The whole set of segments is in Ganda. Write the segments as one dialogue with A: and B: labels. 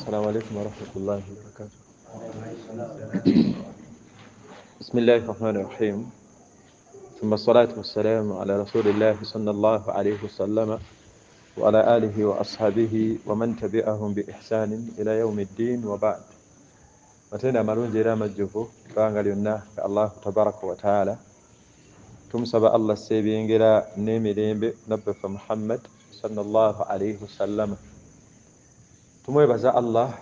A: السلام عليكم ورحمة الله وبركاته. بسم الله الرحمن الرحيم. ثم الصلاة والسلام على رسول الله صلى الله عليه وسلم وعلى آله وأصحابه ومن تبعهم بإحسان إلى يوم الدين وبعد. Matenda amalungi era amajjuvu ebbanga lyonna ga Allahu tabaraka wa taala. Tumusaba Allah asse ebyengera n'emirembe nabbi waffe Muhammad sallallahu alaihi wasallama. Tumwebaza Allah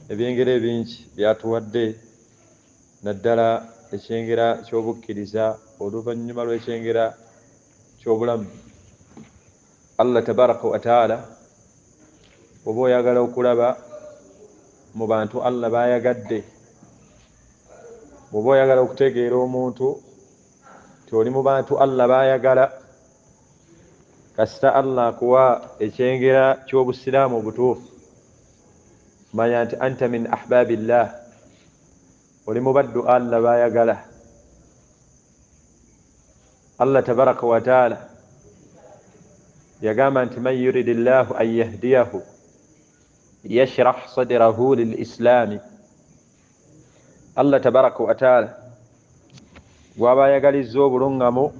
A: ebyengera ebingi byatuwadde, naddala ekyengera ky'obukkiriza oluvannyuma lw'ekyengera ky'obulamu. Allah tabaraka wa taala oba oyagala okulaba mu bantu Allah bayagadde, bw'oba oyagala okutegeera omuntu nti oli mu bantu Allah baayagala, kasita Allah akuwa ekyengera ky'obusiraamu obutuufu, manya nti anta min ahbabillah, oli mu baddu Allah baayagala. Allah tabaraka wa taala yagamba nti man yuridillahu an yahdiyahu yashrah sadrahu lilislami. Allah tabaraka wa taala gwaba ayagalizza obulungamu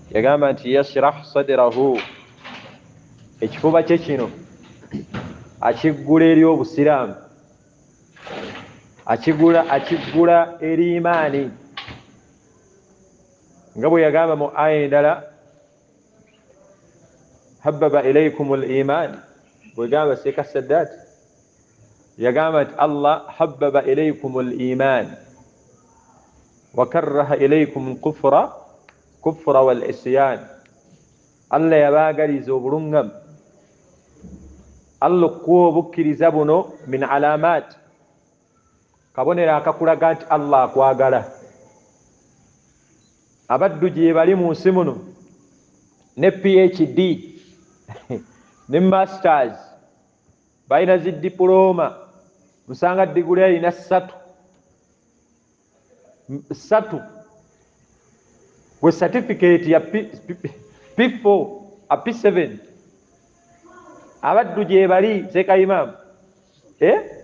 A: yagamba nti yashrah sadrahu, ekifuba kye kino akiggula eri obusiraamu, akiggula eri imaani, nga bwe yagamba mu aya endala habbaba ilaykum al-iman, bwegamba Sheikh Sadat yagamba nti Allah habbaba ilaykum al-iman wa karraha ilaykum al-kufra wal-isyan. Allah yabaagaliza obulungamu, Allah okuwa obukkiriza buno min alamat, kabonero akakulaga nti Allah akwagala. Abaddu gye bali mu nsi muno ne PhD ne masters, balina zi diploma, musanga diguli alina ssatu gwe certificate ya P4 a P7. Abaddu gye bali Seeka Imam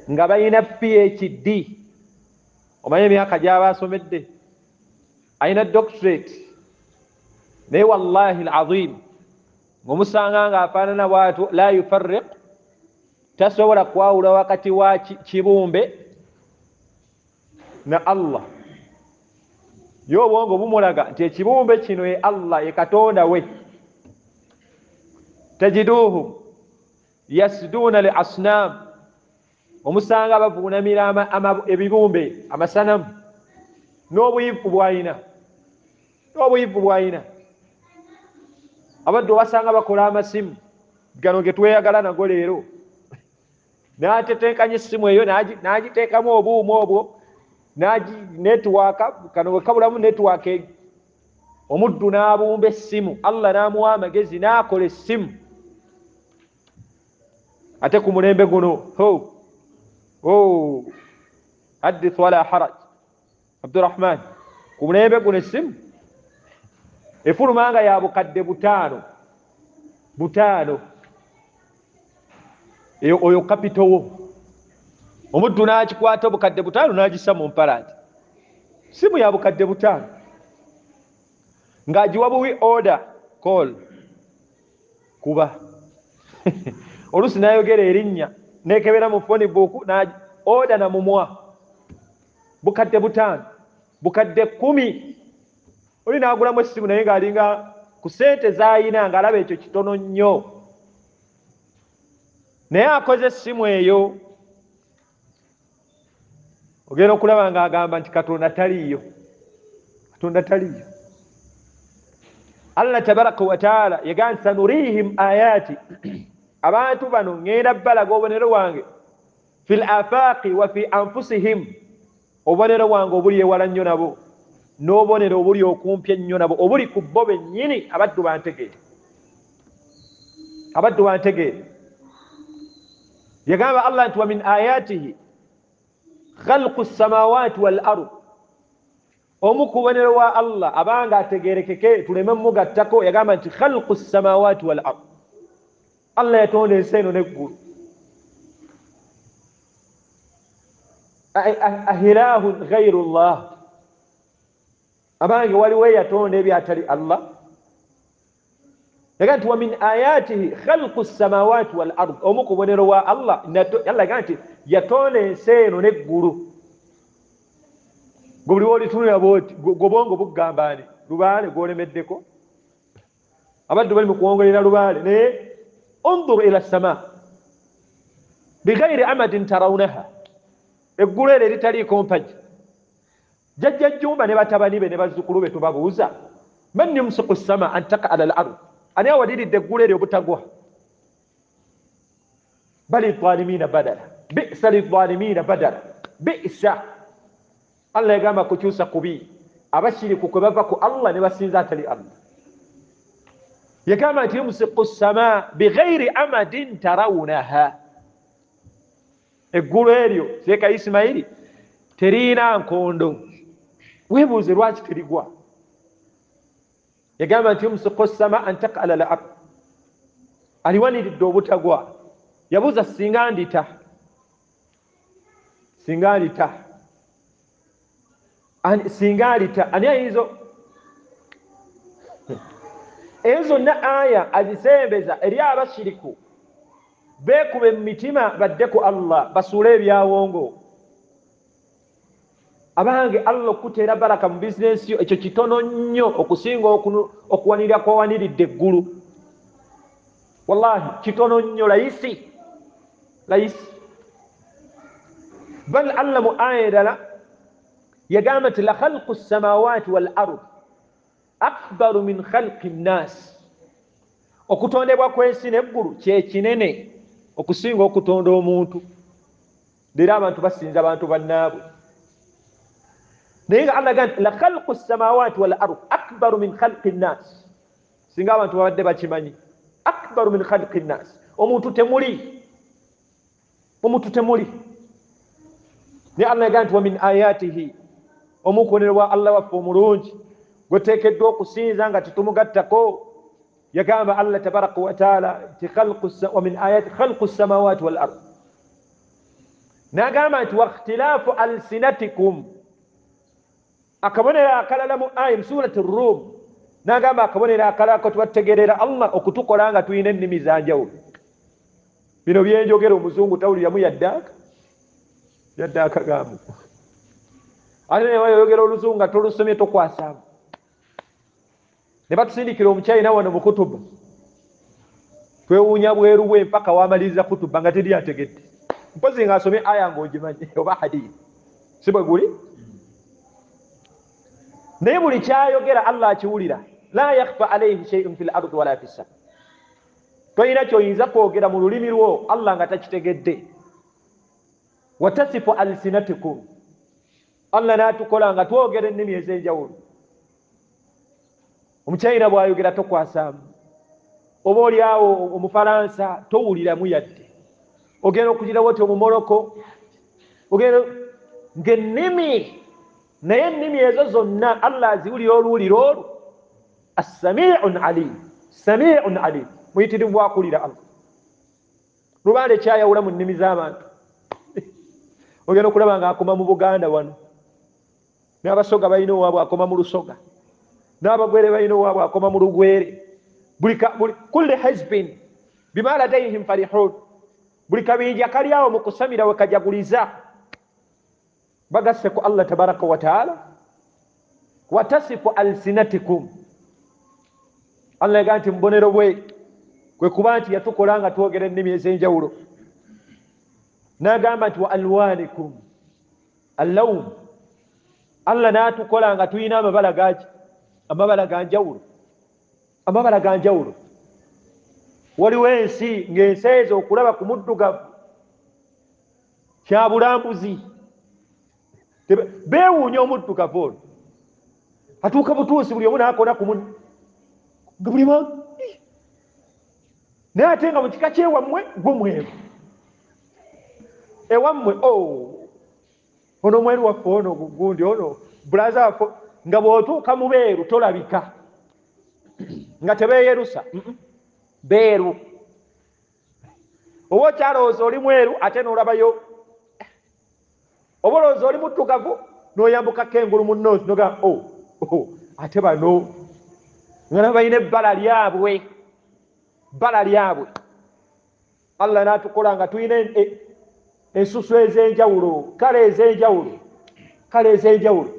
A: nga balina PhD, omanye emyaka gy'abasomedde, alina doctorate, naye wallahi alazim ng'omusanga ng'afaanana bw'atyo, la yufarriq, tasobola kwawula wakati wa kibumbe na Allah. Ye obwongo bumulaga nti ekibumbe kino ye Allah, ye Katonda we. Tajiduhum yasduuna li asnam, omusanga bavuunamira ebibumbe, amasanamu, n'obuyivu bw'alina, n'obuyivu bw'alina. Abaddu obasanga bakola amasimu gano ge tweyagala nago leero, n'atetenkanya essimu eyo n'agiteekamu obuuma obwo, netiwaaka kano bwe kabulamu netiwaaka, omuddu n'abumba essimu, Allah n'amuwa amagezi n'akola essimu. Ate ku mulembe guno haddith wala haraj, Abdurrahman, ku mulembe guno essimu efuluma nga ya bukadde butaano, eyo oyo kapito wo omuddu n'akikwata obukadde butaano n'agissa mu mpalaati, simu ya bukadde butaano ng'agiwa buwi order call kuba oluusi n'ayogera erinnya nekebera mu phone book order na mumwa, bukadde butaano, bukadde 10. Oli n'agulamu essimu naye ng'alinga ku ssente z'ayina ng'alaba ekyo kitono nnyo, naye akoze essimu eyo ogenda okulaba ng'agamba nti Katonda taliiyo, Katonda taliiyo. Allah tabaraka wa taala yagamba nti sanurihim ayati, abantu bano ŋŋenda balaga obubonero bwange fil afaqi wa fi anfusihim, obubonero bwange obuli ewala nnyo nabo, n'obubonero obuli okumpi ennyo nabo, obuli ku bo bennyini. Abaddu bantegeere, abaddu bantegeere. Yagamba Allah nti wa min ayatihi khalqu samawati wal ard, omu ku bubonero wa Allah abanga ategerekeke tuleme mugattako, yagamba nti khalqu samawati wal ard, Allah yatonda ensi eno n'eggulu. Ahilahun ghairu llah, abange waliwo eyatonda ebyatali Allah? Yaga nti wa min ayatihi khalqu samawati wal ard, omu ku bubonero wa Allah, Allah yaga nti yatonda ensi eno n'eggulu. Gwe buli wolitunula bwoti gobongo bugamba ani lubaale gwolemeddeko, abaddu bali mu kuwongolera lubaale, naye undur ila sama bighairi amadin tarawunaha, eggulu eryo eritaliiko mpagi. Jjajja Jjumba ne batabani be ne bazzukulu be tubabuuza, man yumsiku sama an taqa ala al ard, ani awaliridde eggulu eryo obutagwa? Bali zalimina badala, bisa lizalimina badala, bisa. Allah yagamba kukyusa kubi, abashiriku kwe bava ku Allah ne basinza atali Allah. Yagamba nti yumsiku sama bighairi amadin tarawunaha, eggulu eryo Seeka Isimaili teriina nkondo, weebuuze lwaki terigwa? Yagamba nti yumsiku sama an taqa ala al ard, aliwaniridde obutagwa. Yabuuza singa ndita, singa ndita, singa alita, ani ayinza? Ezo zonna aya azisembeza eri abashiriku beekube mu mitima badde ku Allah, basuule ebyawongo. Abange Allah okuteera baraka mu bizinensi yo ekyo kitono nnyo okusinga okuwanirira kwawaniridde eggulu. Wallahi kitono nnyo, layisi layisi. Bal Allah mu aya endala yagamba nti la khalqu samawati wal ard akbaru min khalqi nnas, okutondebwa kw'ensi n'eggulu kye kinene okusinga okutonda omuntu. Leero abantu basinza abantu bannaabwe, naye nga Allah agamba nti la khalqu samawati wal ard akbaru min khalqi nnas, singa abantu babadde bakimanyi, akbaru min khalqi nnas, omuntu temuli, omuntu temuli. Naye Allah yagamba nti wa min ayatihi, omukonero wa Allah waffe omulungi gweteekeddwa okusinza nga tetumugattako. Yagamba Allah tabaraka wa taala nti wa min ayati khalqu samawati wal ard, n'agamba nti wakhtilaafu alsinatikum, akabonero akalala mu aya mu surati Rum, n'agamba akabonero akalala ko tubategeerera Allah okutukola nga tulina ennimi za njawulo. Bino byenjogera omuzungu tawuliramu yadde yadde akagambo, ate ne bayogera oluzungu nga tolusomye tokwasaamu. Ne batusindikira omukyayina wano mu kutuba, twewuunya bweru bwe mpaka wamaliriza kutuba nga teri ategedde, mpozi ng'asomye aya ng'ogimanyi oba hadithi, si bwe guli? Naye buli kyayogera Allah akiwulira. La yakhfa alayhi shay'un fil ardi wala fis sama, toyina kyoyinza kwogera mu lulimi lwo Allah nga takitegedde. Watasifu alsinatikum, Allah n'atukola nga twogera ennimi ez'enjawulo. Omuchina bw'ayogera tokwasaamu, oba oli awo omufalansa towuliramu yadde, ogenda okugirawo oti omumoroko, ogenda ng'ennimi, naye ennimi ezo zonna Allah aziwulira oluwulira olwo. Assamiun alim, samiun alim, muyitirivu bwakulira Allah. Lubaale kyayawula mu nnimi z'abantu. Ogenda okulaba ng'akoma mu Buganda wano, n'Abasoga balina owaabwe akoma mu Lusoga, n'Abagwere balina owaabwe akoma mu Lugwere. Kulli hizbin bima ladayhim farihun, buli kabinja kali awo mu kusamira we kajaguliza, bagasse ku Allah tabaraka wa taala. Watasifu alsinatikum, Allah yagamba nti mubonero bwe kwe kuba nti yatukola nga twogera ennimi ez'enjawulo. N'agamba nti wa alwanikum allawm, Allah n'atukola nga tulina amabala gaki, amabala ga njawulo, amabala ga njawulo. Waliwo ensi ng'ensi ezo okulaba ku muddugavu kya bulambuzi, beewuunya omuddugavu ono atuuka butuusi buli omu n'akona ku munne nga buli naye ate nga mu kika kyewammwe gwe mweru ewammwe ono mweru waffe ono gundi ono bulaza waffe, nga bw'otuuka mu beeru tolabika, nga tebeeyerusa beeru, oba okyalowooza oli mweru ate n'olabayo. Oba olowooza oli muddugavu n'oyambukako engulu mu north noga oh, ate bano nga nabo balina ebbala lyabwe, bbala lyabwe. Allah n'atukola nga tulina ensusu ez'enjawulo, kale ez'enjawulo, kale ez'enjawulo.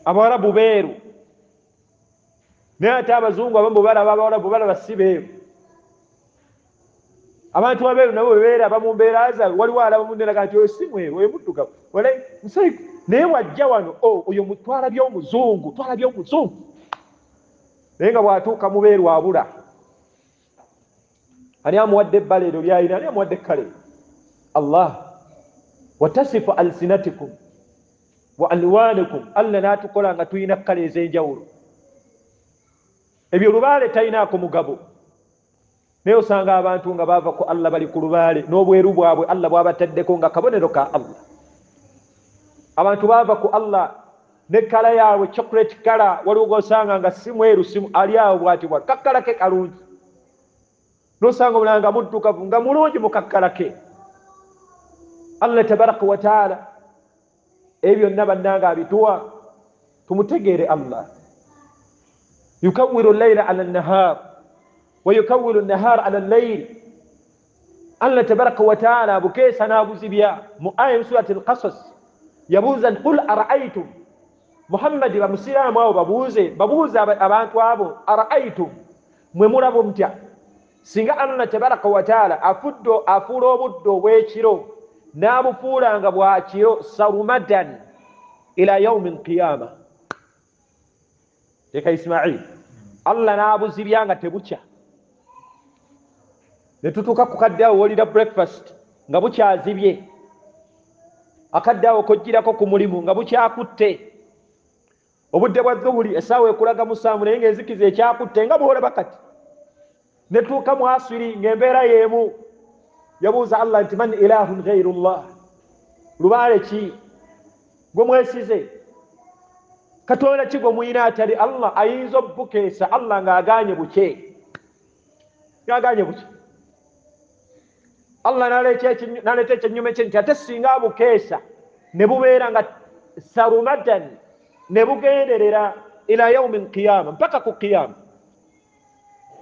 A: Abawarabu beeru, naye ate abazungu abamu bwe balaba abawarabu balaba si beeru. Abantu abeeru nabo bwe beeraba mu mbeera zaabwe, waliwo alaba munne nti oyo si mweru, oyo muddugavu, naye wajja wano oyo twalabye omuzungu, twalabye omuzungu, naye nga bw'atuuka mu beeru abula. Ani amuwadde ebbala eryo lyalina? Ani amuwadde ekkale? Allah. Watasifu alsinatikum wa alwanikum, Allah n'atukola nga tulina kkala ez'enjawulo. Ebyo lubaale talinaako mugabo, naye osanga abantu nga baava ku Allah, bali ku lubaale n'obweru bwabwe Allah bwabataddeko nga kabonero ka Allah. Abantu baava ku Allah nekkala yaabwe chocolate kala, waliwo gosanga nga si mweru, si ali awo bwati bwa kakkala ke kalungi, nosanga omulala nga muddugavu nga mulungi mu kakkala ke. Allah tabaraka wataala ebyo byonna bannanga abituwa tumutegeere. Allah yukawiru llaila ala nahar wa yukawiru nahar ala llail. Allah tabaraka wataala abukeesa n'abuzibya. Mu aya mu surati Alqasas yabuuza nti qul araaitum, Muhammadi, bamusiraamu abo babuuze, babuuze abantu abo, araaitum, mwe mulaba mutya singa Allah tabaraka wataala afudde afuula obudde obw'ekiro n'abufuula nga bwakiro sarumadan ila yaumi lqiyama? Leka Ismail, Allah n'abuzibya nga tebukya, ne tutuuka ku kadde awo wolira breakfast nga bukyazibye, akadde awo kojjirako ku mulimu nga bukyakutte, obudde bwa zuhuri essaawa ekulaga 7 naye ng'enzikiza ekyakutte nga bwolaba kati, ne tuuka mu asiri ng'embeera y'emu. Yabuuza Allah nti man ilahun gairu llah, lubaale ki gwe mwesize, katonda ki gwe muyina atali Allah ayinza obukeesa Allah ng'agaanye bukye, ng'agaanye bukye? Allah n'aleeta ekyennyuma kye nti ate singa abukeesa ne bubeera nga sarumadan, ne bugenderera ila yaumi lqiyama, mpaka ku qiyama,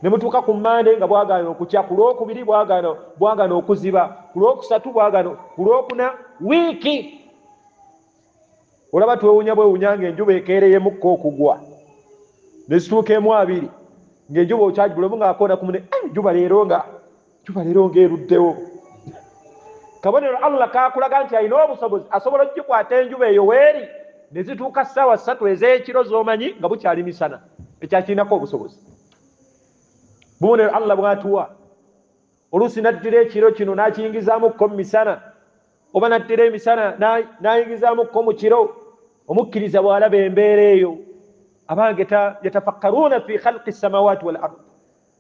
A: ne mutuuka ku Mande nga bwagaana okukya, ku Lwokubiri bwagaana okuziba, ku Lwokusatu bwagaana, ku Lwokuna, wiiki olaba twewunya bwewunya ng'enjuba ekeereyemukko okugwa, ne zituuka emu 20 ng'enjuba okyagi buli omu ng'akoona ku mune, enjuba leero nga njuba leero ng'eruddewo. Kabonero Allah kakulaga nti alina obusobozi, asobola okugikwata enjuba eyo weeri ne zituuka ssaawa 3 ez'ekiro z'omanyi nga bukyali misana, ekyakirinako obusobozi. Bubonero Allah bwatuwa. Oluusi n'addira ekiro kino n'akiyingizamukko mu misana, oba n'addira emisana n'ayingizamukko mu kiro. Omukkiriza bw'alaba embeera eyo, abange yatafakkaruuna fi khalqi samawati wal ard.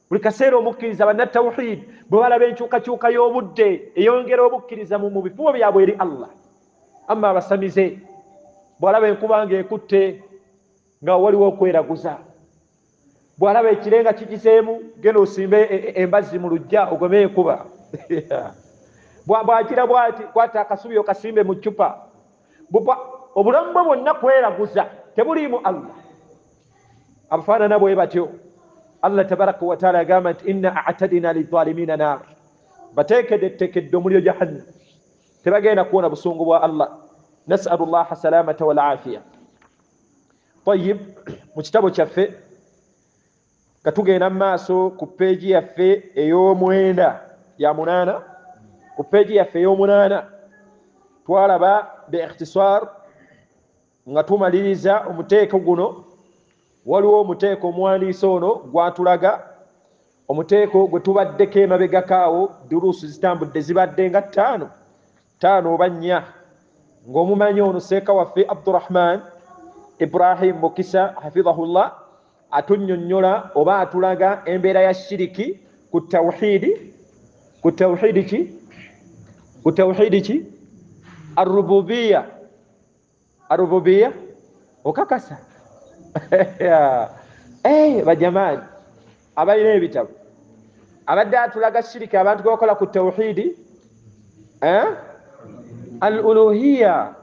A: Buli kaseera omukkiriza, bannatawhid bwe balaba enkyukakyuka y'obudde, eyongera obukkiriza mu bifubo byabwe eri Allah. Amma abasamize bw'alaba enkuba ng'ekutte nga waliwo okweraguza, bw'alaba ekire nga kigiseemu, genda osimbe embazzi mu luggya ogome enkuba, bwakira bwati kwata akasubi okasimbe mu ccupa. Obulamu bwe bwonna kweraguza, tebuliimu Allah. Abafaanana bwe batyo Allah tabaraka wataala agamba nti inna atadina lizalimina nar, bateekedde omuliro jahannam, tebagenda kuwona busungu bwa Allah. Nasalu llaha salamata walafiya. Tayib, mu kitabo kyaffe nga tugenda mu maaso ku peegi yaffe ey'omwenda ya 8, ku peegi yaffe ey'omunaana twalaba be ikhtisar nga tumaliriza omuteeko guno. Waliwo omuteeko omuwandiisi ono gwatulaga, omuteeko gwe tubaddeko emabegako awo, duruusu zitambudde zibadde nga 5 oba 4, ng'omumanyi ono seeka waffe Abdurahman Ibrahim Mukisa hafidhahullah atunnyonnyola oba atulaga embeera ya shiriki ku tawhidi, ku tawhidi ki, ku tawhidi ki, arububiya, arububiya okakasa. Bajamaani abalina ebitabo, abadde atulaga shiriki abantu gwe bakola ku tawhidi. Al-uluhiyya.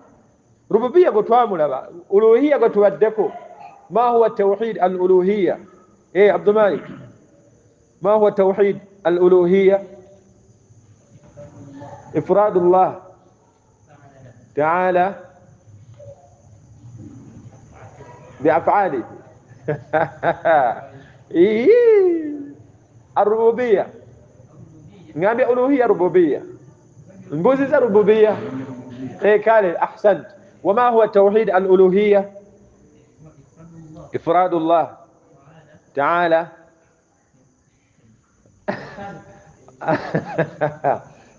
A: Rububiyya gwe twamulaba, uluhiyya gwe tubaddeko. Ma huwa tawhid al-uluhiyya? Abdul Malik, ma huwa tawhid al-uluhiyya? Ifradullah ta'ala biaf'alihi. Ar-rububiyya ngambye uluhiyya, rububiyya mbuzi za rububiyya. Kale, ahsant. Wama huwa tawhid al-uluhiyya? Ifradullah ta'ala.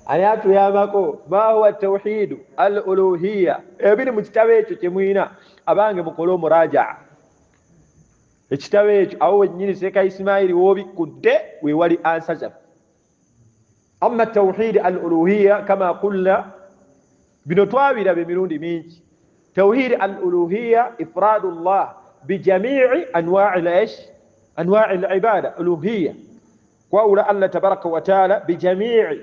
A: Ani atuyambako? Ma huwa tawhid al-uluhiyya? Ebiri mu kitabo ekyo kye mwina, abange mukole omurajaa ekitabo ekyo, awo wennyini Seeka Isimaili w'obikkudde wewali ansa zaffe. Amma tawhid al-uluhiyya kama qulna, bino twabiraba emirundi mingi. Tawhid al-uluhiyya ifradullah bijamii anwa'i al-ish anwa'i al-ibada. Uluhiyya kwawula Allah tabaraka wa taala bijamii,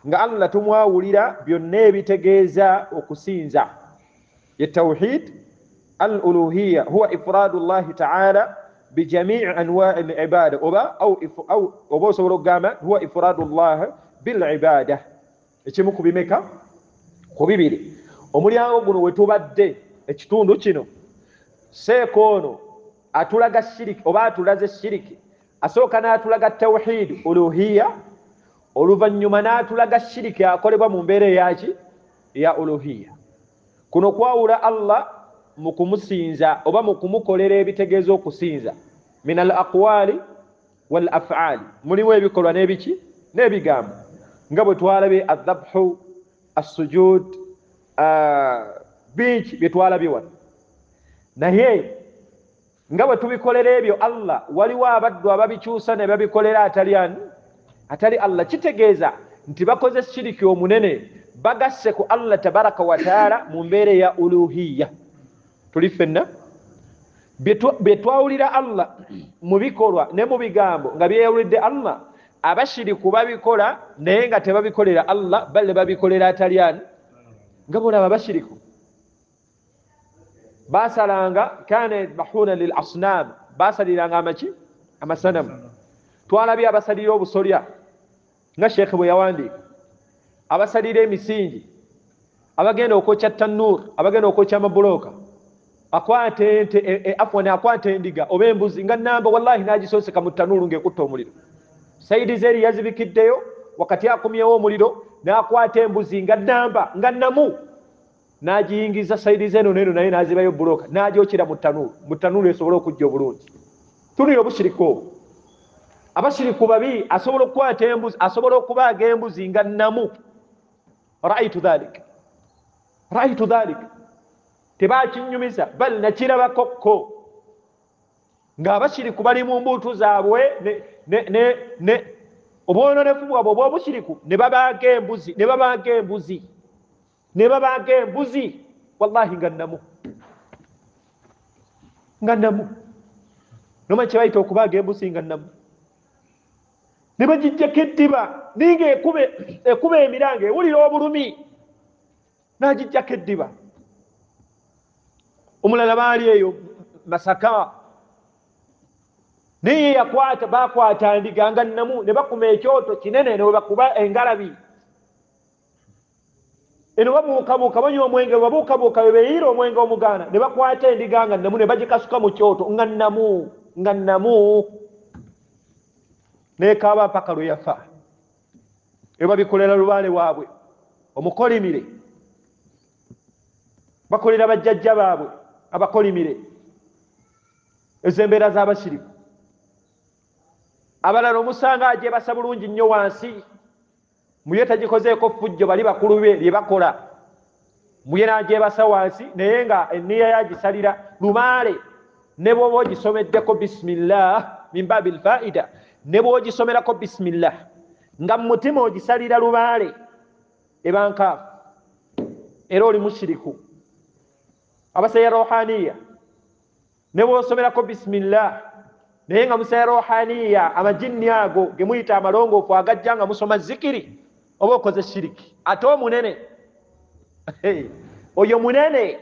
A: nga Allah tumwawulira byonna ebitegeeza okusinza. Ye tawhid al-uluhiyya huwa ifradullahi ta'ala bijamii anwa'i al-ibada, oba oba osobola okugamba huwa ifradullah bil-ibada. Ekimu ku bimeka? Ku bibiri. Omulyango guno we tubadde ekitundu kino, seeka ono atulaga shiriki oba atulaze shiriki. Asooka n'atulaga tawhid uluhiyya, oluvannyuma n'atulaga shiriki akolebwa mu mbeera eyaki? Ya uluhiyya. Kuno kwawula Allah mu kumusinza oba mu kumukolera ebitegeeza okusinza, min al aqwali wal af'ali, mulimu ebikolwa n'ebiki n'ebigambo, nga bwe twalabye adhabhu, assujud, bingi bye twalabye wano. Naye nga bwe tubikolera ebyo Allah, waliwo abaddu ababikyusa ne babikolera atali ani? Atali Allah. Kitegeeza nti bakoze shiriki omunene, bagasse ku Allah tabaraka wa taala mu mbeera eya uluhiyya. Tuli ffenna bye twawulira Allah mu bikolwa ne mu bigambo nga byeyawulidde Allah, abashiriku babikola naye nga tebabikolera Allah, bale babikolera atali ani? Nga bolaba abashiriku basalanga, kana yadhbahuna lil asnam, basaliranga amaki? Amasanamu. Twalabye abasalira obusolya nga Sheikh bwe yawandiika, abasalira emisingi, abagenda okwokya tannuur, abagenda okwokya amabuloka, akwata ente, afwan, akwata endiga oba embuzi nga namba, wallahi n'agisonseka mu tanuulu ng'ekutta omuliro. Saidi zeri yazibikiddeyo wakati akumyewo omuliro, n'akwata embuzi nga namba nga namu n'agiyingiza saidi zeno neno, naye n'azibayo buloka n'agyokera mu tanuulu, mu tanuulu esobole okujja obulungi. Tunulira obushiriku obwo. Abashiriku babi, asobola okukwata embuzi, asobola okubaaga embuzi nga namu. Raaitu dhalik, raaitu dhalik, tebakinyumiza, bal nakirabako ng'abashiriku bali mu mbuutu zaabwe ne obwononefu bwabwe obw'obushiriku, ne babaaga embuzi, ne babaaga embuzi, ne babaaga embuzi, wallahi nga namu, nga namu. Nomanyi kye bayita okubaaga embuzi nga namu? Ne bagijjako eddiba, ninga ekuba emiranga, ewulira obulumi, n'agijjako eddiba. Omulala baali eyo Masaka, naye yakwata, bakwata ndiga nga namu, ne bakuma ekyoto kinene, ne bakuba engalabi eno, babuukabuuka banywa omwenge, babuukabuuka bwe beeyiira omwenge omugaana, ne bakwata endiga nga namu, ne bagikasuka mu kyoto nga namu, nga namu, nekaaba mpaka lwe yafa. Ebyo babikolera lubaale waabwe omukolimire, bakolera bajjajja baabwe abakolimire. Ezo embeera z'abashiriku. Abalala omusanga agyebasa bulungi nnyo wansi, muye tagikozeeko ffujjo, bali bakulu be lye bakola, muye n'agyebasa wansi, naye nga enniya yagisalira lubaale. Ne bw'oba ogisomeddeko bismillah min babi lfaida, ne bw'ogisomerako bismillah nga mu mutima ogisalira lubaale, eba nkaafu, era oli mushiriku. Abasalira rohaniya, ne bw'osomerako bismillah naye nga musaya rohaniya, amajinni ago ge muyita amalongoofu agajja nga musoma zikiri, oba okoze shiriki ate omunene. Oyo munene,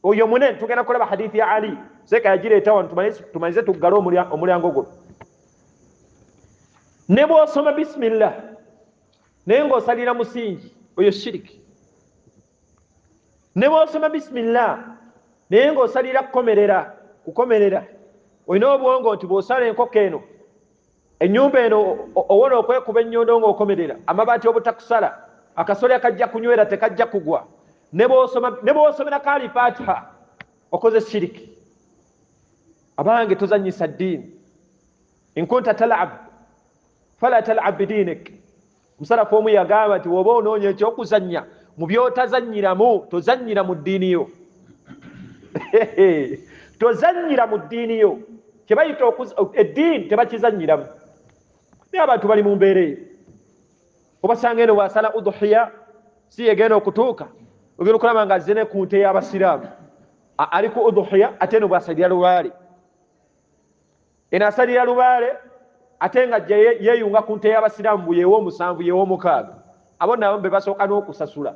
A: oyo munene. Tugenda kulaba hadithi ya Ali seka yagireeta wano, tumalize tuggale omulyango guno. Ne bw'osoma bismillah naye ng'osalira musingi, oyo shiriki. Ne bw'osoma bismillah naye ng'osalira kukomerera, kukomerera, olina obwongo nti bw'osala enkoko eno, ennyumba eno, owona okwekuba ennyondo ng'okomerera, amabaati obutakusala, akasolya kajja kunywera, tekajja kugwa. Ne bw'osomera kaali fatiha okoze shiriki. Abange, tozanyisa ddiini. In kunta talab fala talab bidinik. Musalafu omu yagamba nti woba onoonya ekyokuzannya mu byotazannyiramu, tozannyira mu ddiini yo, tozannyira mu ddiini yo. Kyebayita eddiini tebakizannyiramu. Naye abantu bali mu mbeera eyo, obasanga eno bwasala udhuhiya si yegenda okutuuka, ogenda okulaba nga azze ne ku nte y'abasiraamu ali ku udhuhiya, ate eno bwasalira lubaale, eno asalira lubaale, ate nga ajja yeeyunga ku nte y'abasiraamu bu yeewa omusanvu, yeewa omukaaga. Abo nabo be basooka n'okusasula.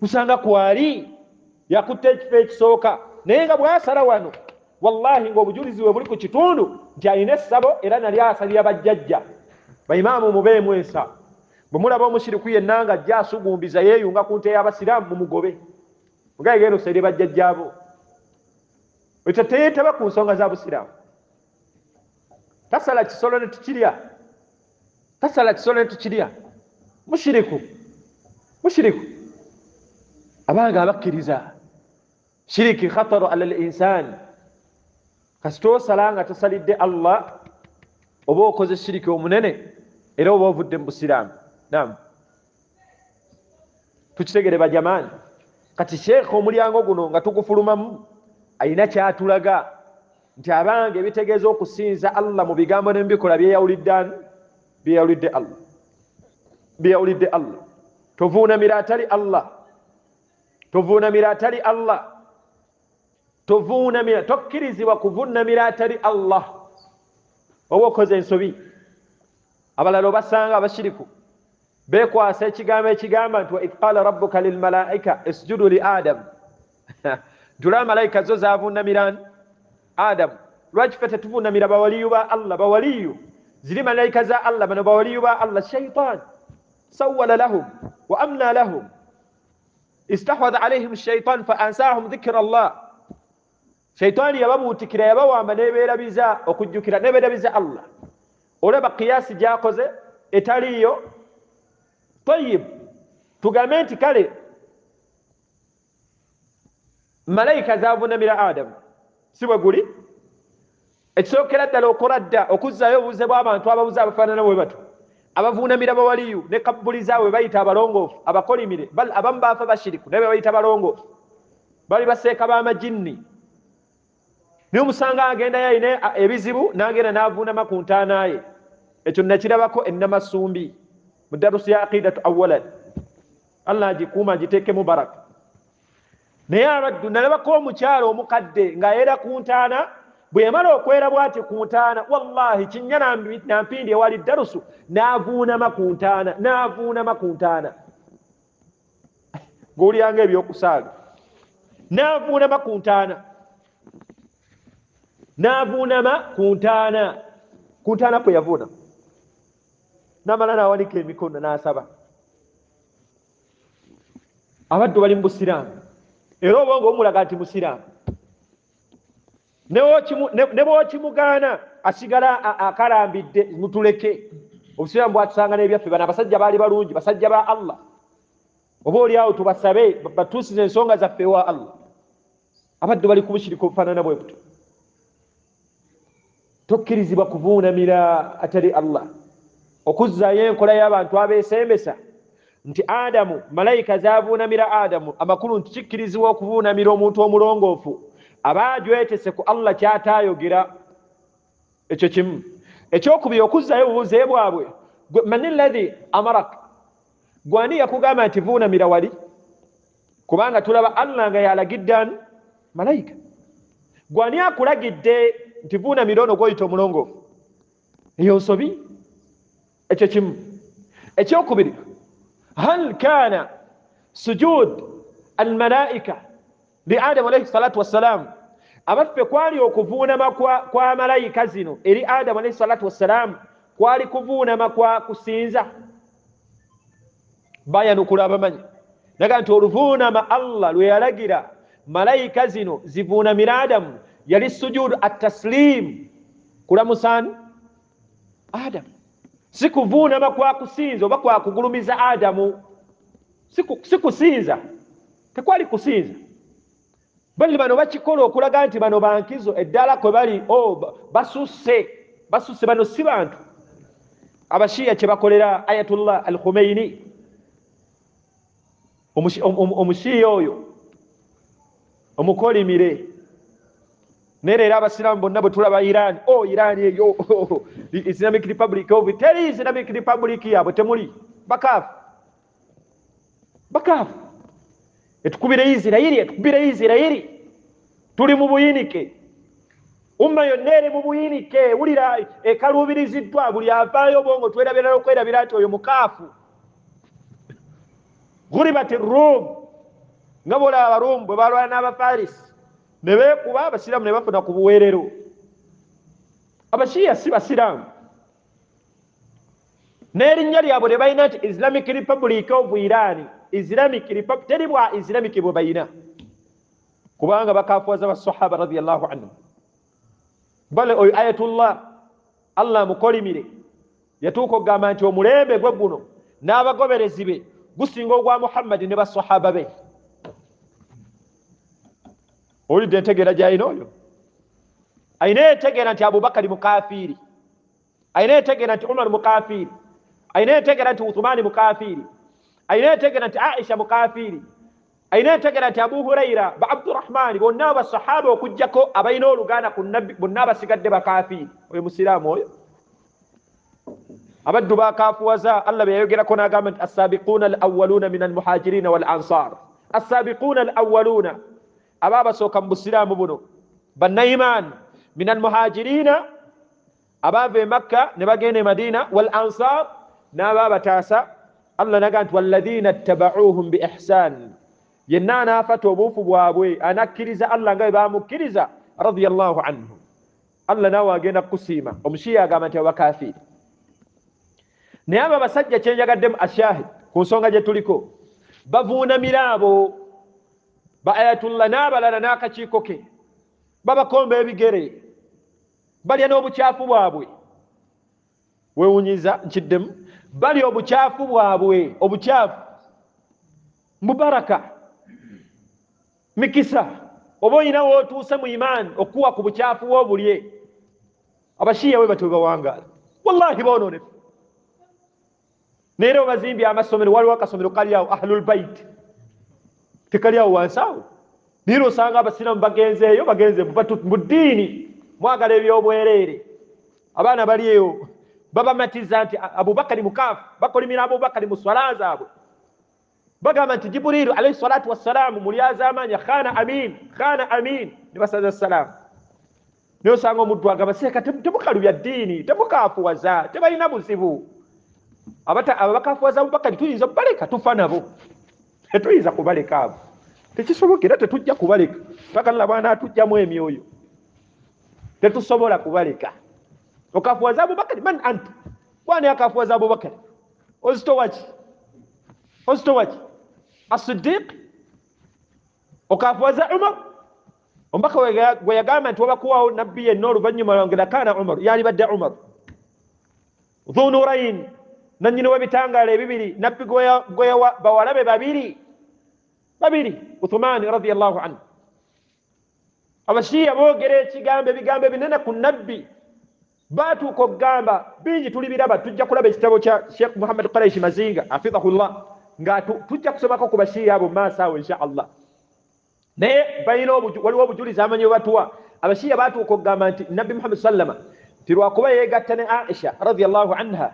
A: Kusanga kwali yakutte ekifo ekisooka, naye nga bwasala wano wallahi ng'obujulizi bwe buli ku kitundu nti alina essabo era nali asalira bajjajja. Baimaamu mubeemu ensa, bwe mulaba omushiriku yenna nga ajja asugumbiza yeeyunga ku nte y'abasiraamu, mumugobe, mugaye genda osalire bajjajjaabo. Ekyo teyeetaba ku nsonga za busiraamu. Tasala kisolo ne tukirya, tasala kisolo ne tukirya. Mushiriku, mushiriku. Abange abakkiriza, shiriki khataru ala l-insani. Kasita osala nga tosalidde Allah, oba okoze shiriki omunene era oba ovudde mu busiraamu. Nam, tukitegere bajamaani. Kati sheekha omulyango guno nga tugufulumamu alina kyatulaga nti abange, ebitegeeza okusinza Allah mu bigambo ne mubikolwa byeyawulidde ani? Byeyawulidde Allah, byeyawulidde Allah. Tovuunamira atali Allah, tovuunamira atali Allah, tovuunamira, tokkirizibwa kuvuunamira atali Allah, oba okoze ensobi. Abalala obasanga abashiriku beekwasa ekigambo ekigamba nti wa idh qala rabbuka lilmalaika isjudu li Adam. Ntulaba malayika zo zavuunamira Adamu, lwaki ffe tetuvuunamira bawaliyu ba Allah? Bawaliyu ziri malayika za Allah, bano bawaliyu ba Allah. Shaitan sawwala lahum wa amna lahum, istahwadha alaihim shaitan fa ansahum dhikra Allah. Shaitaani yababuutikira, yabawamba nebeerabiza okujjukira, nebeerabiza Allah. Olaba kiyasi gyakoze etaliiyo. Tayib, tugambe nti kale malayika zavuunamira Adamu, si bwe guli? Ekisookera ddala okola dda okuzzaayo obubuze bw'abantu ababuze abafaanana bwe bato abavuunamira bawaliyu ne kabbuli zaabwe bayita abalongoofu abakolimire. Bal abamu baafa bashiriku naye be bayita balongoofu, bali baseeka b'amajinni. Naye omusanga agendayo alina ebizibu n'agenda n'avuunama ku ntaana ye. Ekyo nakirabako ennamasumbi mu darusu ya aqidatu awalan, Allah agikuuma agiteekemu baraka. Naye abaddu nalabako omukyalo omukadde ng'ayera ku ntaana, bwe yamala okwera bw'ati ku ntaana, wallahi kinnya nampindi ewali darusu, n'avuunama ku ntaana, n'avuunama ku ntaana ng'olyanga ebyokusaaga, n'avuunama ku ntaana, n'avuunama ku ntaana, ku ntaana kwe yavuunama, n'amala n'awanika emikono n'asaba. Abaddu bali mu busiraamu era obwongo bumulaga nti musiraamu, ne bw'okimugaana asigala akalambidde. Mutuleke, obusiraamu bwatusanga n'ebyaffe. Bano abasajja baali balungi, basajja ba Allah, oba oliawo tubasabe batuusize ensonga zaffe ewa Allah. Abaddu bali kubushirika obufaanana bwe buto. Tokkirizibwa kuvuunamira atali Allah. Okuzzaayo enkola y'abantu abeesembesa nti Adamu malayika zavuunamira Adamu, amakulu nti kikkirizibwa okuvuunamira omuntu omulongoofu aba ajwetese ku Allah kyataayogera. Ekyo kimu. Ekyokubiri, okuzzaayo obubuze bwabwe, mani llahi amarak, gwani yakugamba nti vuunamira wali? Kubanga tulaba Allah nga yalagidde ani? Malayika. Gwani akulagidde nti vuunamira ono gwoyita omulongoofu? Eyo nsobi. Ekyo kimu. Ekyokubiri, Hal kana sujud almalaika li Adamu alayhi salatu wassalam, abaffe kwali okuvuunama kwa malayika zino eri Adamu alayhi salatu wassalam kwali kuvuunama kwa kusinza? Bayanukula abamanyi naga nti oluvuunama Allah lwe yalagira malayika zino zivuunamira Adamu yali sujudu at-taslim, kulamusani Adamu, si kuvuunama kwa kusinza oba kwa kugulumiza Adamu, si kusinza, tekwali kusinza. Bali bano bakikola okulaga nti bano bankizo eddala kwe bali, basusse, basusse, bano si bantu. Abashiya kye bakolera Ayatullah al-Khomeini, omushiya oyo omukolimire. Naye leero abasiraamu bonna bwe tulaba Iran, Iran eyo Islamic Republic of, teri Islamic Republic yaabwe, temuli, bakaafu, bakaafu. Etukubire Isirairi, etukubire Isirairi, tuli mu buyinike, umma yonna eri mu buyinike. Wulira ekaluubiriziddwa, buli avaayo obwongo twerabira n'okwerabira nti oyo mukaafu. Ghuribat Rum, nga bw'olaba Abaruumu bwe balwana n'Abafarisi ne beekuba, abasiraamu ne bafuna ku buweerero. Abashiya si basiraamu, n'erinnya lyabwe lye balina nti Islamic Republic of Iran, Islamic Republic, teri bwa Islamic bwe balina, kubanga bakafuwaza basahaba radiyallahu anhum. Bale oyo Ayatullah Allah amukolimire yatuuka okugamba nti omulembe gwe guno n'abagoberezi be gusinga ogwa Muhammadi ne basahaba be. Owulidde entegeera gy'alina oyo? Alina entegeera nti Abubakari mukafiiri, alina entegeera nti Umar mukafiiri, alina entegeera nti Uthumani mukafiiri, alina entegeera nti Aisha mukafiiri, alina entegeera nti Abu Huraira ba Abdurrahmani bonna abasahaba okuggyako abalina oluganda ku nabbi bonna abasigadde bakafiiri. Oyo musiraamu oyo? Abaddu bakafuwaza Allah bye yayogerako n'agamba nti assabiquuna al-awwaluuna min al-muhajiriina wal ansar, assabiquuna al-awwaluuna, aba abasooka mu busiraamu buno bannaimaani, min al-muhajiriina, abaava e Makka ne bagenda e Madina, wal ansar, n'aba abataasa. Allah naga nti walladhiina ttabauhum bi ihsan, yenna anaafata obuufu bwabwe anakkiriza Allah nga bwe bamukkiriza radiyallahu anhu, Allah naawe agenda kukusiima. Omushiya agamba nti abakafiiri. Naye abo abasajja kyenjagaddemu ashahid ku nsonga gye tuliko, bavuunamira abo ba Ayatullah n'abalala n'akakiiko ke, babakomba ebigere, balya n'obukyafu bwabwe. Weewunyiza nkiddemu, balya obukyafu bwabwe, obukyafu mubaraka, mikisa, oba olina w'otuuse mu imaani okuwa ku bukyafu bw'obulye. Abashiya bwe batyo bawangaala, wallahi boonoonefu. Naye era bazimbye amasomero, waliwo akasomero kali awo Ahlul Bait, tekali awo wansi awo. Naye osanga abasiraamu bagenzeeyo, bagenze mu ddiini, mwagala ebyobwereere. Abaana bali eyo babamatiza nti Abubakari mukaafu, bakolimira Abubakari mu swala zaabwe, bagamba nti Jibriilu alayhi salatu wassalaamu mulyazaamaanya, khana amin, khana amin, ne basaza salaamu. Naye osanga omuddu agamba seeka temukalubya ddiini, temukaafuwaza, tebalina buzibu. Abakafuwaza Abubakari tuyinza okubaleka, tufa nabo, tetuyinza kubaleka abo, tekisoboka, era tetujja kubaleka paka Allah bw'anaatujjamu emyoyo, tetusobola kubaleka. Okafuwaza Abubakari, man anta, kwani akafuwaza Abubakari? Ozitowaki, ozitowaki As-Siddiq? Okafuwaza Umar? Omubaka gwe yagamba nti wabakuwawo nabbi yenna oluvannyuma lwange lakaana Umar, yalibadde Umar Dhunurain, nannyini w'ebitangaala ebibiri, nabbi gwe yawa bawala be babiri babiri, Uthumani radiyallahu anhu. Abashiya boogera ekigambo, ebigambo ebinene ku nabbi, baatuuka okugamba bingi, tulibiraba, tujja kulaba ekitabo kya Sheikh Muhammad Quraish Mazinga hafidhahullah, nga tujja kusomako ku bashiya abo mu maaso awo insha Allah. Naye balina waliwo obujulizi amanyi bwe batuwa. Abashiya baatuuka okugamba nti nabbi Muhammad sallama nti lwakuba yeegatta ne Aisha radiyallahu anha,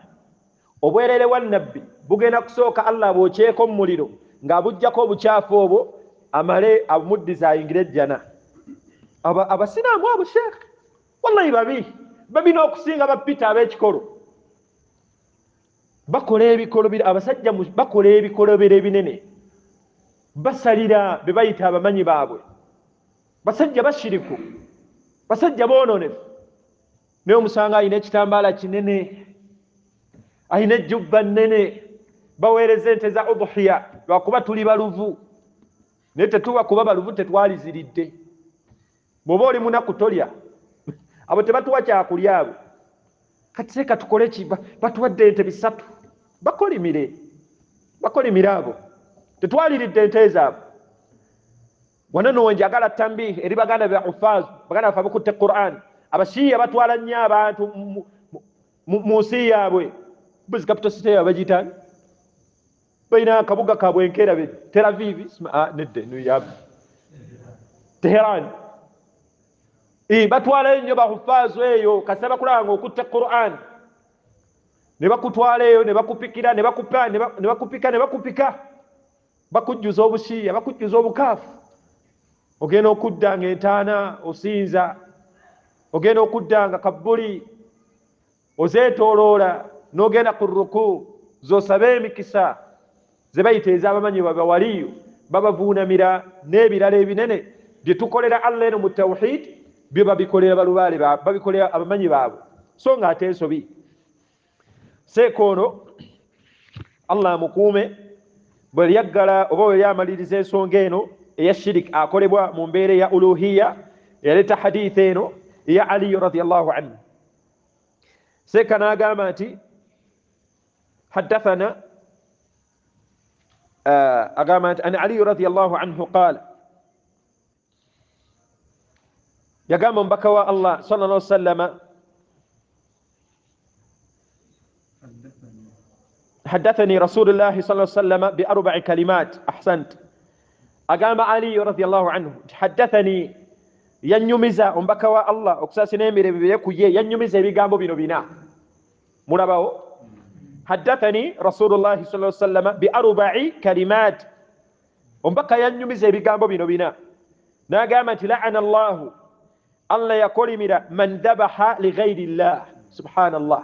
A: obwerere bwa nabbi bugenda kusooka Allah abwokyeko mu muliro ng'abuggyako obukyafu obwo, amale abumuddiza ayingire ejjana. Abasiraamu abo Sheikh wallahi babi, babi n'okusinga bapita ab'ekikolo. Bakola ebikolobero, abasajja bakola ebikolobero ebinene, basalira be bayita abamanyi baabwe. Basajja bashiriku, basajja boononefu, naye omusanga alina ekitambaala kinene, alina ejjubba nnene, baweereza ente za udhiya lwakuba tuli baluvu, naye tetuba kuba baluvu tetwaliziridde. Bw'oba oli munaku tolya, abo tebatuwa kyakulya abo. Kati seeka tukole ki? Batuwadde ente 3, bakolimire, bakolimire abo, tetwaliridde ente zaabwe. Wano nno wenjagala tambihi eri baganda be ufaz, baganda baffe abakutte Quran. Abashiya batwala nnyo abantu mu nsi yaabwe. Buzi capital city yaabwe bagiyita, balina akabuga kaabwe enkeera be Tel Aviv, nedde Teheran. Batwalayo nnyo bahufaazu eyo, kasita bakulaba nga okutte Quran ne bakutwala eyo, ne bakupikira, ne bakupa, ne bakupika, ne bakupika, bakujjuza obushiya, bakujjuza obukaafu. Ogenda okudda nga entaana osinza, ogenda okudda nga kabbuli ozeetooloola, n'ogenda ku ruku z'osaba emikisa ze bayita ez'abamanyi babawaliyo, babavuunamira n'ebirala ebinene bye tukolera Allah eno mu tawhid, byo babikolera balubaale, babikolera abamanyi baabwe, so nga ate ensobi. Seeka ono Allah amukuume, bwe yaggala oba bwe yamaliriza ensonga eno eya shirik akolebwa mu mbeera eya uluhiya, yaleeta haditha eno eya Aliyu radiyallahu anhu. Seeka n'agamba nti haddathana, agamba nti an Aliyu radiyallahu anhu qaala, yagamba omubaka wa Allah sallallahu alaihi wasallama, haddathani rasulullahi sallallahu alaihi wasallama bi arba'i kalimat. Ahsant. Agamba Ali radiyallahu anhu, haddathani, yanyumiza omubaka wa Allah okusaasira n'emirembe bibe ku ye, yanyumiza ebigambo bino bina. Mulabawo, haddathani rasulullahi sallallahu alaihi wasallama bi arba'i kalimat, omubaka yanyumiza ebigambo bino bina. N'agamba nti la'ana Allahu, Allah yakolimira man dhabaha li ghayri llah. Subhanallah.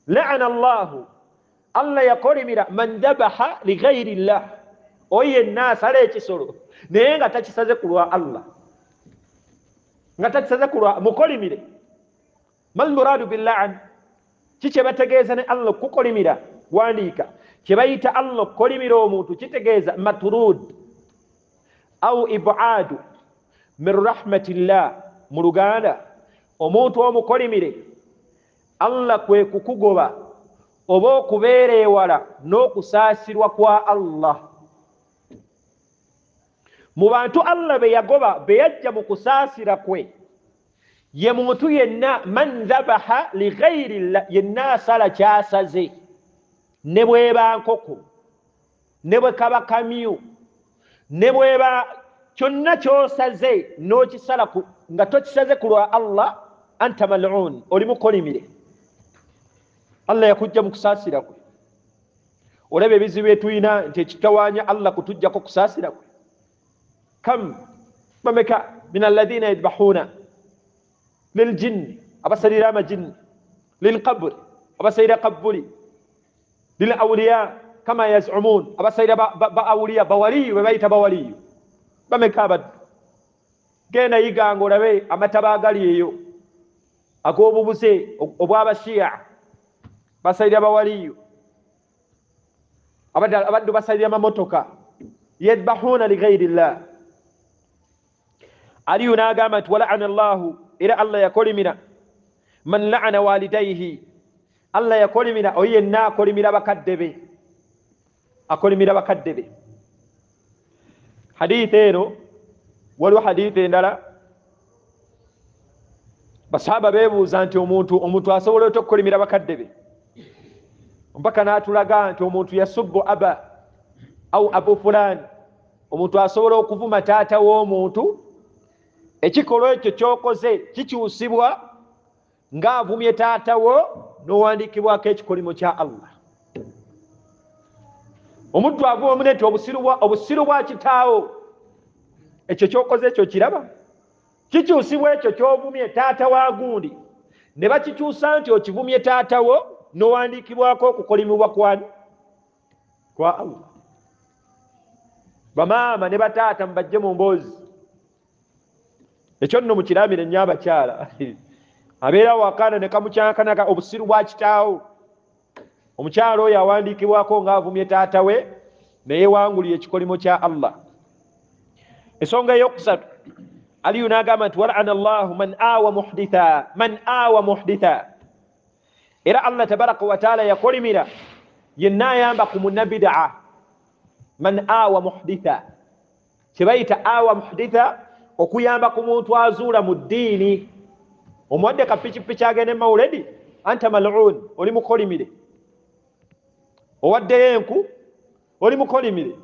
A: La'ana Allahu, Allah yakolimira man dhabaha li ghayri llah, oyo yenna asala ekisolo naye nga takisaze ku lwa Allah, nga takisaze ku lwa, mukolimire. Mal muradu billaan, ki kye bategeeza ne Allah okukolimira? Wandiika kye bayita Allah okukolimira omuntu kitegeeza maturud au ibadu min rahmatillah. Mu Luganda omuntu omukolimire Allah kwe kukugoba oba okubeera ewala n'okusaasirwa kwa Allah. Mu bantu Allah be yagoba, be yajja mu kusaasira kwe, ye muntu yenna man dhabaha li ghayri llah, yenna asala kyasaze, ne bweba nkoko, ne bwe kaba kamyu, ne bweba kyonna ky'osaze n'okisala nga tokisaze ku lwa Allah, anta mal'un, oli mukolimire. Allah yakujja mu kusaasira kwe. Olaba ebizibu byetulina nti ekitawaanya Allah kutujjako kusaasira kwe. Kam bameka min alladhina yadhbahuna liljinni, abasalira amajinni, lilqabri, abasalira kabbuli, lil awliya kama yazumun, abasalira ba awliya, bawaliyu, be bayita bawaliyu. Bameka abaddu. Genda yiganga olabe amataba agali eyo ag'obubuze obw'abashiya, basalira bawaliyu, abaddu basalira amamotoka, yadhbahuna li ghayri llah. Aliyu n'agamba nti wala'ana Allahu, era Allah yakolimira man la'ana walidayhi, Allah yakolimira oyo yenna akolimira bakadde be, akolimira bakadde be. Haditha eno, waliwo haditha endala basahaba beebuuza nti omuntu asobola otya okukolimira bakadde be, mpaka n'atulaga nti omuntu yasubbu aba au abu fulani, omuntu asobola okuvuma taata w'omuntu. Ekikolwa ekyo ky'okoze kikyusibwa ng'avumye taata wo n'owandiikibwako ekikolimo kya Allah. Omuntu avuma munne nti obusiru bwa kitaawo, ekyo ky'okoze ekyo kiraba kikyusibwa ekyo ky'ovumye taata wa gundi, ne bakikyusa nti okivumye taata wo, Nowandiikibwako okukolimibwa kwani kwa Allah. Bamaama ne bataata mubajje mu mboozi. Ekyo nno mukiramire nnyo abakyala. Abeera wakaana ne kamukyankanaka obusiru bwa kitaawo. Omukyala oyo awandiikibwako ng'avumye taata we naye wangulira ekikolimo kya Allah. Ensonga eyokusatu, Aliyu n'agamba nti walana llahu man awa muhditha, man awa muhditha. Era Allah tabaraka wataala yakolimira yenna ayamba ku munnabidaa. Man awa muhditha, kyebayita awa muhditha okuyamba ku muntu azuula mu ddiini. Omuwadde ka pikipiki agende mawuledi, anta mal'un, oli mukolimire. Owaddeyo enku, oli mukolimire.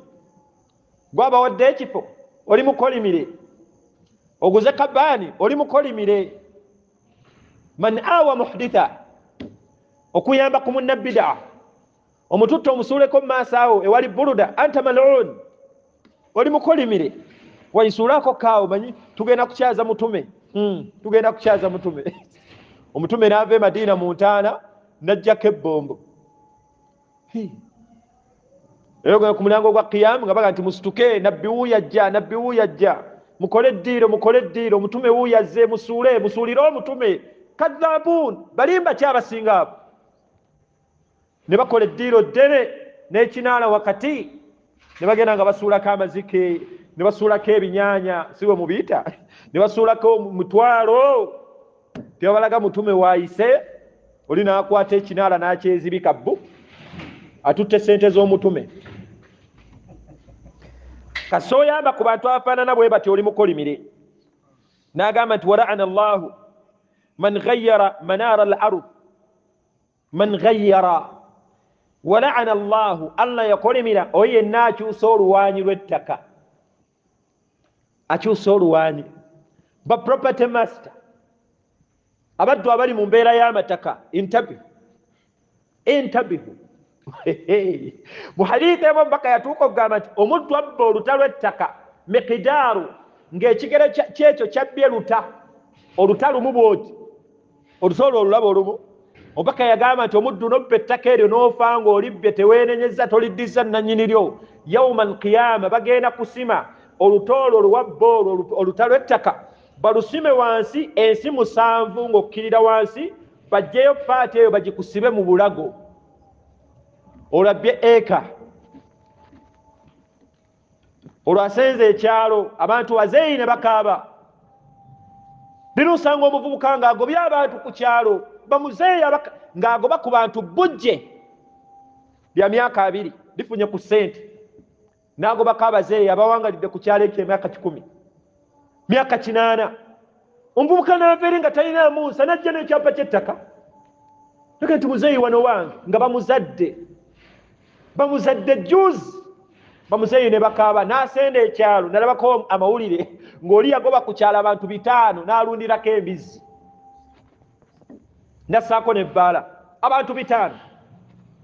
A: Gwabawadde ekifo, oli mukolimire. Oguze kabaani, oli mukolimire. Man awa muhditha, okuyamba ku munnabidaa. Omututte omusuuleko mu maaso awo ewali buluda, anta mal'un, oli mukolimire. Waisuulako kaawo, manyi tugenda kukyaza mutume. Tugenda kukyaza mutume. Omutume n'ava e Madiina mu ntaana n'ajjako ebbombo. Era ogenda ku mulyango gwa Kiyamu nga baga nti musituke, nabbi wuuyo ajja, nabbi wuuyo ajja, mukole eddiiro, mukole eddiiro, omutume wuuyo azze, musuule, musuulire omutume. Kadhaabun, balimba ki abasinga abo? Ne bakola eddiiro ddene n'ekinaala wakati, ne bagenda nga basuulako amazike, ne basuulako ebinyaanya, si bwe mubiyita, ne basuulako mutwalo. Tebabalaga mutume waayise, oli n'akwata ekinaala n'akyezibika bbu, atutte sente z'omutume. Kasooyamba ku bantu abafaanana bwe batyo, oli mukolimire. N'agamba nti wala'ana llahu man ghayyara manaara al ard, man ghayyara. Wala'ana llahu, Allah yakolimira oyo yenna akyusa oluwaanyi lw'ettaka, akyusa oluwaanyi. Ba property master, abaddu abali mu mbeera y'amataka, intabihu, intabihu. Mu hadithi emu omubaka yatuuka okugamba nti omuddu abba oluta lw'ettaka miqidaaru, ng'ekigere kyekyo kyabbye luta, oluta lumu bw'oti, oluta olwo olulaba olumu. Omubaka yagamba nti omuddu n'obba ettaka eryo n'ofa ng'olibbye, teweenenyezza, toliddiza nannyini lyo, yauma alqiyama bagenda kusima oluta olwo oluwabba olwo oluta lw'ettaka, balusime wansi ensi 7 ng'okkirira wansi, baggyeyo paati eyo bagikusibe mu bulago. Olwabbye eka, olwasenze ekyalo, abantu bazeeyi ne bakaaba. Lino osanga omuvubuka ng'agobye abantu ku kyalo, bamuzeeyi ng'agoba ku bantu bujje lya myaka 2 lifunye ku ssente, n'agobako abazeeyi abawangalidde ku kyalo ekyo emyaka 100, myaka 8. Omuvubuka n'ava eri nga talinaamu nsa, n'ajja n'ekyapa ky'ettaka. Naga nti muzeeyi wano wange, nga bamuzadde, bamuzadde juzi, bamuzeeyi ne bakaaba. N'asenda ekyalo, nalabako amawulire ng'oli yagoba ku kyalo abantu 5 n'alundirako embizzi, n'assaako n'ebbaala, abantu 5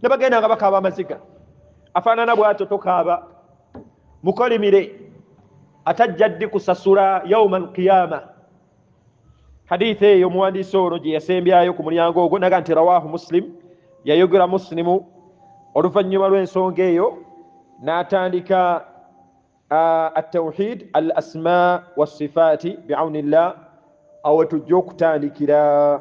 A: ne bagenda nga bakaaba amaziga. Afaanana bw'atyo tokaaba, mukolimire, atajja ddi kusasula yauma alqiyama. Hadithi eyo omuwandiisi ono gye yasembyayo ku mulyango ogwo naga nti rawahu Muslim, yayogera Muslimu. Oluvannyuma lw'ensonga eyo n'atandika at-tawhid al asma wassifaati biaunillah. Awo tujja okutandikira.